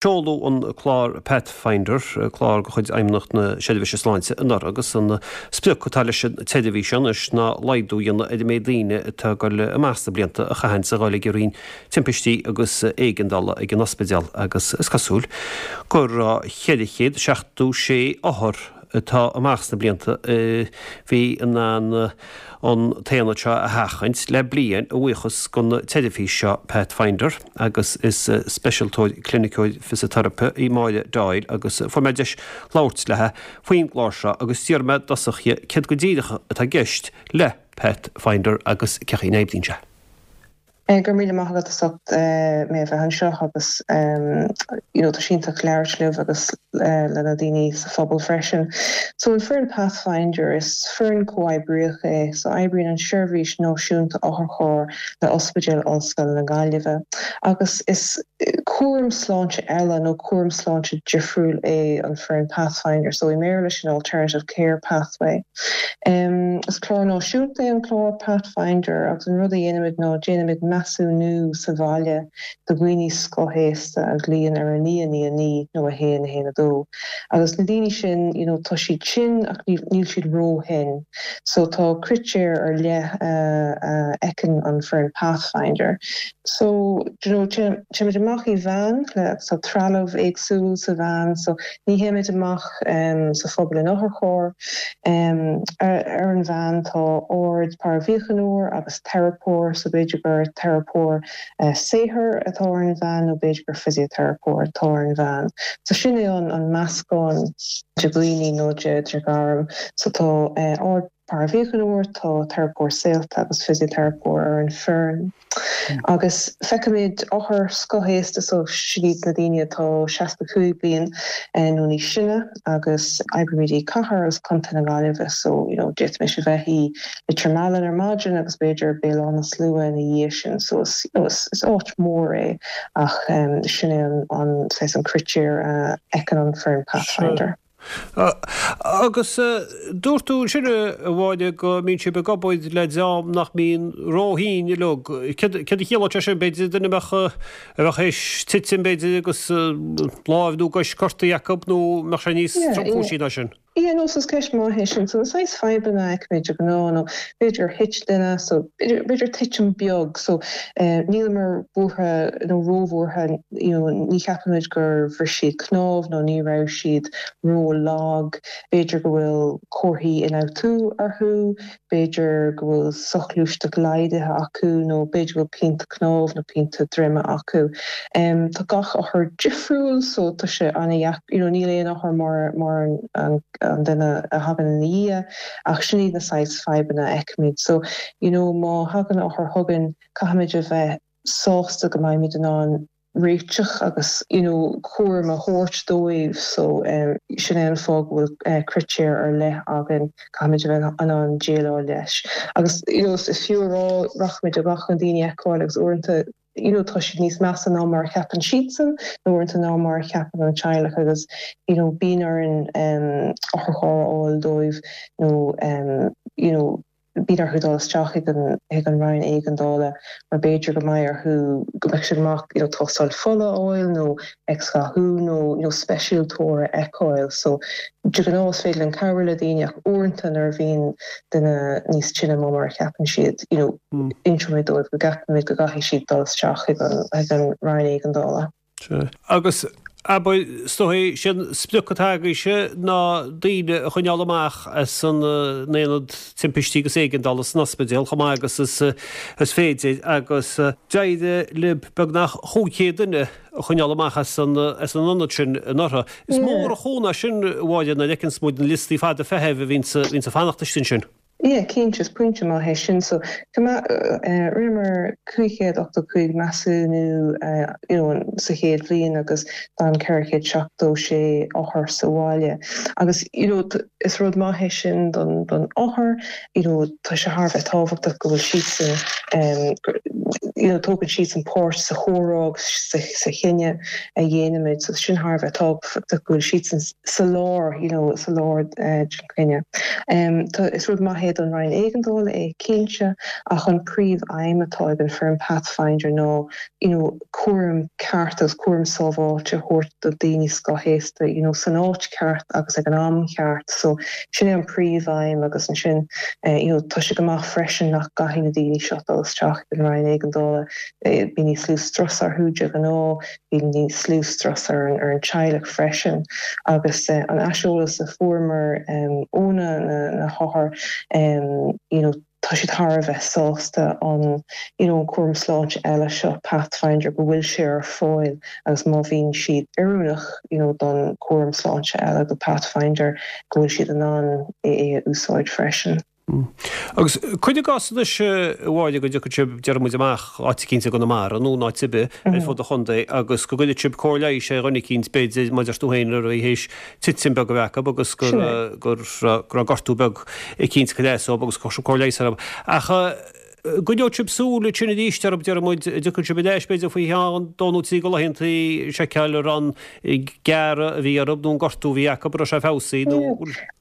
Seoladh an clár Pathfinder, clár de chuid Fheidhmeannacht na Seirbhíse Sláinte anuraidh agus an sprioc atá leis an tseirbhís seo anois ná laghdú a dhéanamh ar an méid daoine atá ag dul amach sna blianta a chaitheanns a dhul ag an roinn timpistí agus éigeandála ag an ospidéal agus is cosúil go raibh 476 othar atá amach sna blianta a bhí in ann an t-aonad seo a sheachaint le bliain a bhuíochas don tseirbhís seo Pathfinder. agus is speisialtóir cliniceoir fisiteiripe í Máire Doyle agus fuair mé deis labhairt léi faoin gclár seo agus d'iarr mé i dtosach dhi céard go díreach atá i gceist le Pathfinder agus cén chaoi a n-oibríonn sé. Go raibh míle maith agat as ucht mé a bheith anseo agus you know tá sé iontach labhairt libh agus le na daoine sa phobal freisin. So an foireann Pathfinder is foireann comhoibríoch é so oibríonn an Seirbhís Náisiúnta Otharcharr le Ospidéal Ollscoile na Gaillimhe agus is cúram sláinte eile nó cúram sláinte difriúil é an foireann Pathfinder so i mBéarla sin Alternative Care Pathway. Is clár náisiúnta é an clár Pathfinder agus an rud a dhéanaimid ná déanaimid measúnú sa bhaile do dhaoine scothaosta a ghlaonn ar 9 9 9 nó 1 1 2 agus na daoine sin you know tá siad tinn ach níl siad ró-thinn. So tá critéir ar leith a fheiceann an foireann Pathfinder. So do you know téimid amach i veain le agus tá trealamh éagsúil sa veain so ní théimid amach sa phobal in otharcharr. Ar an veain tá ard-paraimhíochaineoir agus teiripeoir so b'fhéidir gur teiripeoir saothair atá ar an veain nó b'fhéidir gur fisiteiripeoir atá ar an veain. So sin é an meascán de dhaoine nó de ghairm. So tá ard-paraimhíochaineoir, tá teiripeoir saolta agus fisiteiripeoir ar an foireann. Agus feicimid othair scothaosta, so sin iad na daoine atá 65 bliain nó níos sine agus oibrímid i cathair agus contae na Gaillimhe so you know d'fhéadfaimis a bheith i Leitir Mealláin ar maidin agus b'fhéidir Béal Átha na Slua ina dhiaidh sin so is you know is áit mhór é ach sin é an saghas an critéar a fheiceann an foireann Pathfinder. Agus dúirt tú ansin a Mháire go mbíonn sibh ag obair le dream nach mbíonn ró-thinn uilig. Céard a chiallódh sé sin? B'fhéidir duine a bheadh a bheadh théis titim b'fhéidir agus láimh nó cois gortaithe acu nó mbeadh sé níos tromchúisí ná sin? Yeah, no, so is ceist maith é sin. So na saghas fadhbanna a fheicimid de ghnáth nó b'fhéidir gur thit duine, so b'fhéidir titim beag, so níleamar buartha nó róbhuartha, you know, ní cheapaimid gur bhris siad cnámh nó ní raibh siad ró-lag, b'fhéidir go bhfuil comharthaí ionfhabhtú orthu, b'fhéidir go bhfuil soghluaisteacht laghdaithe acu nó b'fhéidir go bhfuil pianta cnámh nó pianta droime acu. Tá gach othar difriúil so tá sé an-dheacair, you know níl aon othar mar mar an duine a thagann ina dhiaidh ach sin iad na saghas fadhbanna a fheicimid. So you know má thagann othar chugainn caithfimid a bheith sásta go mbeimid in ann réiteach agus you know cúram a thabhairt dóibh so sin é an fáth go bhfuil critéir ar leith againn, caithfimid a bheith in ann déileáil leis. Agus you know is fiú a rá rachaimid amach chun daoine a fheiceáil agus uaireanta you know tá siad níos measa ná mar a cheapann siadsan nó uaireanta ná mar a cheapann an teaghlach agus you know bíonn orainn otharcharr a fháil dóibh nó you know bíonn orthu dul isteach chuig an chuig an roinn éigeandála mar b'fhéidir go mbeidh orthu go mbeadh siad amach you know tástáil fola a fháil nó x-ghathú nó you know speisialtóir a fheiceáil so de ghnáth is féidir linn cabhrú le daoine ach uaireanta nuair a bhíonn duine níos tinne ná mar a cheapann siad you know inseoimid dóibh go gceapaimid go gcaithfidh siad dul isteach chuig an chuig an roinn éigeandála. Sea. Agus, abair, is dóigh, sé an sprioc atá agaibhse ná daoine a choinneáil amach as an aonad timpistí agus éigeandála san ospidéal chomh maith agus is féidir agus d'éirigh libh beagnach 500 duine a choinneáil amach as an ionad sin anuraidh. Is mór an chúnamh é sin, a Mháire, nuair a fheiceanns muid na liostaí fada feithimh a bhíonns ag fanacht istigh ansin. Yeah, cinnte, is pointe maith é sin. So, rinneamar 585 measúnú you know sa chéad bhliain agus d'fhan 476 othar sa bhaile. Agus you know. Is rud maith é sin don don othar, you know tá sé thar a bheith tábhachtach go bhfuil siadsan you know tógann siadsan páirt sa chomhrá agus sa sa chinneadh a dhéanaimid so sin thar a bheith tábhachtach go bhfuil siadsan sa lár you know sa lár den chinneadh. Tá is rud maith é don Roinn Éigeandála é cinnte ach an príomh-aidhm atá ag an foireann Pathfinder ná you know cúram ceart agus cúram sábháilte a thabhairt do daoine scothaosta you know san áit ceart agus ag an am cheart so sin é an príomh-aidhm agus ansin you know tá sé go maith freisin nach gcaithfidh na daoine seo dul isteach ag an Roinn Éigeandála bíonn níos lú strus orthu de ghnáth bíonn níos lú strus ar an ar an teaghlach freisin agus an aiseolas a fuaireamar ó na na hothair you know tá siad thar a bheith sásta an you know an cúram sláinte eile seo, Pathfinder, go bhfuil sé ar fáil agus má bhíonn siad oiriúnach you know don cúram sláinte eile, do Pathfinder, go bhfuil siad in ann é a úsáid freisin. Agus cuir i gcás anois, a Mháire, go dtiocfaidh sibh, déarfaidh muid, amach áit eicínt i gConamara nó in áit ar bith ar fud an chontae agus go gcuirfidh sibh cóir leighis ar dhuine eicínt, b'fhéidir, mar a deir tú féin, a raibh théis titim beag a bheith acu agus go raibh gortú beag eicínt ag cur as dóibh agus go raibh cóir leighis orthu. Ach an gcoinneoidh sibh súil ansin arís orthu, déarfaidh muid, an dtiocfaidh sibh ar ais b'fhéidir faoi cheann dó nó trí de laethantaí seiceáil an raibh an gearradh a bhí orthu nó an gortú a bhí acu, an raibh sé feabhsaithe nó.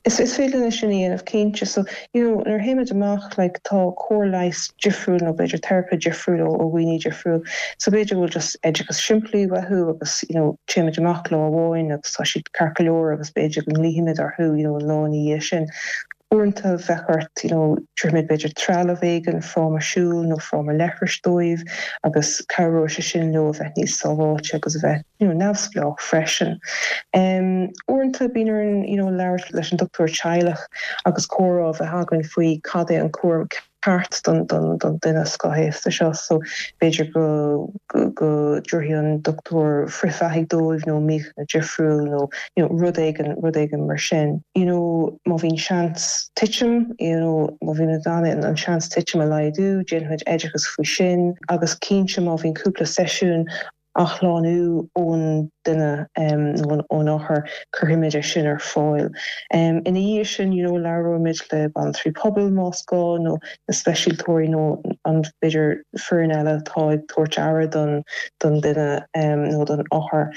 Is féidir linn é sin a dhéanamh cinnte. So, you know, nuair a théimid amach, like, tá cóir leighis difriúil nó b'fhéidir teiripe difriúil ó dhaoine difriúil. So b'fhéidir go bhfuil just oideachas simplí uathu agus, you know, téimid amach lá amháin agus tá siad ceart go leor agus b'fhéidir go nglaofaimid orthu, you know, an lá ina dhiaidh sin. Uaireanta bheadh ort, you know, tabharfaimid b'fhéidir trealamh éigin, fráma siúil nó fráma leithris dóibh agus cabhróidh sé sin leo a bheith níos sábháilte agus a bheith, you know, neamhspleách freisin. Uaireanta bíonn orainn, you know, labhairt leis an dochtúir teaghlach agus comhrá a bheith againn faoi cad é an cúram ceart don, don, don duine scothaosta seo. So b'fhéidir go, go, go dtabharfaidh an dochtúir frithbheathaigh dóibh nó míochaine difriúil nó, you know, rud éigin, rud éigin mar sin. You know, má bhíonn seans titim, you know, má bhíonn in ann an seans titim a laghdú, déanfaimid oideachas faoi sin agus cinnte má bhíonn cúpla seisiún athshlánú ón duine nó ón othar, cuirfimid é sin ar fáil. Ina dhiaidh sin, you know, labhróimid le banaltraí pobail más gá nó na speisialtóirí nó an b'fhéidir foireann eile atá ag tabhairt aire don don duine nó don othar.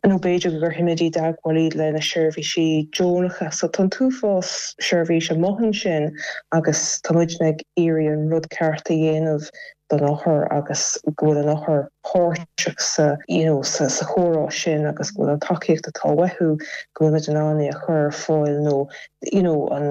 Nó b'fhéidir go gcuirfimid i dteagmháil iad le na seirbhísí deonacha. So tá an t-uafás seirbhís amuigh ansin agus tá muidne ag iarraidh an rud ceart a dhéanamh don othar agus go bhfuil an othar páirteach sa you know sa sa chomhrá sin agus go bhfuil an tacaíocht atá uathu go bhfuil muid in ann é a chur ar fáil nó you know an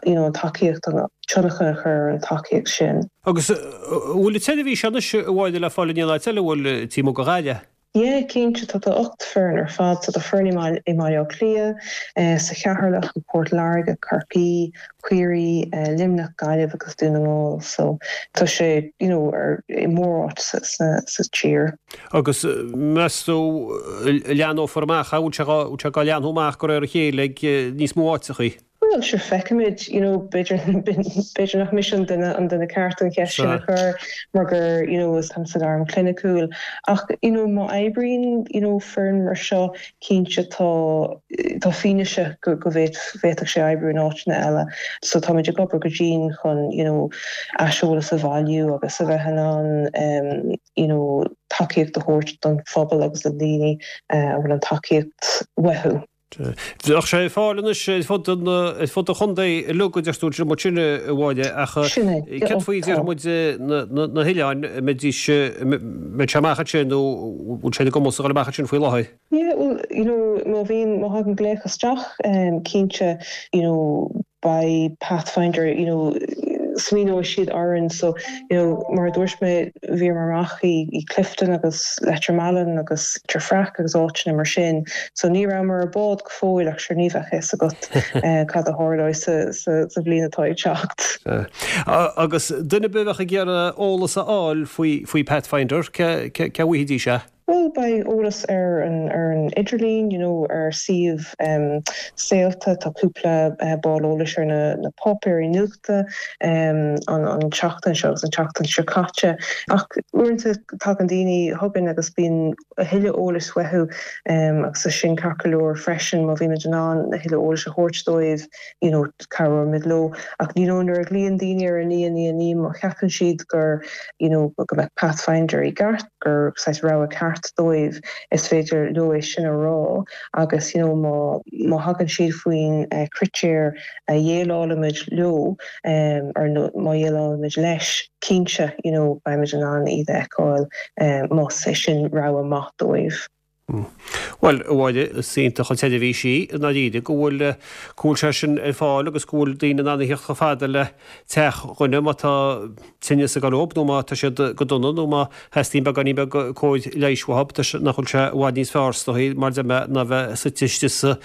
you know an tacaíocht an tionchar a chur ar an tacaíocht sin. Agus an bhfuil an tseirbhís anois a Mháire le fáil in aon áit eile, an bhfuil taobh amuigh de Ghaillimh? Yeah, cinnte, tá tá 8 foireann ar fad, so tá foireann i mBaile Átha Cliath, sa Cheatharlach, i bPort Láirge, Corcaigh, Ciarraí, Luimneach, Gaillimh agus Dún na nGall, so tá sé, you know, ar i móráit sa sa sa tír. Agus meas tú an leathnófar amach, an bhfuil sé bhfuil sé ag leathnú amach de réir a chéile ag níos mó áiteachaí? Bhuel, sure, feicfimid, you know, b'fhéidir, b'fhéidir nach mise an duine, an duine ceart an cheist sin a chur mar gur, you know, is táim sa ghairm chliniciúil. Ach, you know, má oibríonn, you know, foireann mar seo, cinnte tá, tá fianaise go, go bhféadfadh sé oibriú in áiteanna eile. So táimid ag obair go dian chun, you know, aiseolas a bhailiú agus a bheith in ann, you know, tacaíocht a thabhairt don phobal agus do dhaoine a bhfuil an tacaíocht uathu. Bheadh sé ar fáil anois ar fud an ar fud an chontae uilig a deir tú ansin sin a Mháire ach Sin é. céard faoi déarfaidh muid na na hoileáin an mbeidís an mbeidh sé amach ansin nó bhfuil sé ar a gcumas a dhul amach ansin faoi láthair? Yeah well you know má bhíonn má thagann glaoch isteach cinnte you know beidh Pathfinder you know smaoineoidh siad orainn so you know mar a dúirt mé bhíomar amach i i Clifden agus Leitir Mealláin agus Leitir Fraic agus áiteanna mar sin so ní rabhamar ar bád go fóill ach sure ní bheadh fhios agat cad a tharlóidh sa sa sa bhliain atá ag teacht. Agus duine ar bith a bheadh ag iarraidh eolas a fháil faoi faoi Pathfinder cé cé cá bhfaighidís é? Bhuel, beidh eolas ar an ar an idirlíon, you know, ar suíomh Saolta, tá cúpla ball eolais ar na na páipéirí nuachta an an tseachtain seo agus an tseachtain seo caite. Ach uaireanta tagann daoine chugainn agus bíonn a thuilleadh eolais uathu agus tá sin ceart go leor freisin má bhímid in ann a thuilleadh eolais a thabhairt dóibh. you know, cabhróimid leo. Ach, you know, nuair a ghlaonn daoine ar 9 9 9, má cheapann siad gur, you know, go mbeadh Pathfinder i gceart, gur saghas rogha ceart dóibh, is féidir leo é sin a rá agus, you know, má, má thagann siad faoin critéir a dhéileálaimid leo, or má dhéileálaimid leis, cinnte, you know, beimid in ann iad a fheiceáil más é sin rogha maith dóibh. Bhuel, a Mháire, is iontach an tseirbhís í, i ndáiríre, go bhfuil, go bhfuil sé sin ar fáil agus go bhfuil daoine in ann a theacht chomh fada le teach dhuine má tá tinneas ag dul leob nó má tá siad go dona nó má theastaíonn beagáinín beag cóir leighis uathu, tá sé, nach bhfuil sé i bhfad níos fearr is dóigh, mar a deir mé, ná bheith suite istigh sa,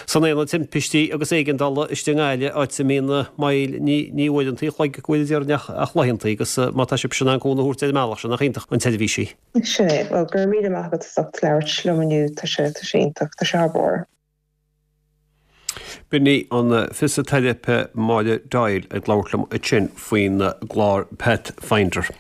san aonad timpistí agus éigeandála istigh i nGaillimh, áit a mbíonn moill, ní, ní uaireanta an chloig go bhfuil a déarfainn ach, ach laethanta agus má tá sibhse in ann cúnamh a thabhairt ar an mbealach sin, nach iontach an tseirbhís í. Sin é. Bhuel, go raibh míle maith agat as ucht labhairt liom inniu. Tá sé, tá sé iontach. Tá sé thar barr. B'in í an fisiteiripe Máire Doyle ag labhairt liom ansin faoin gclár Pathfinder.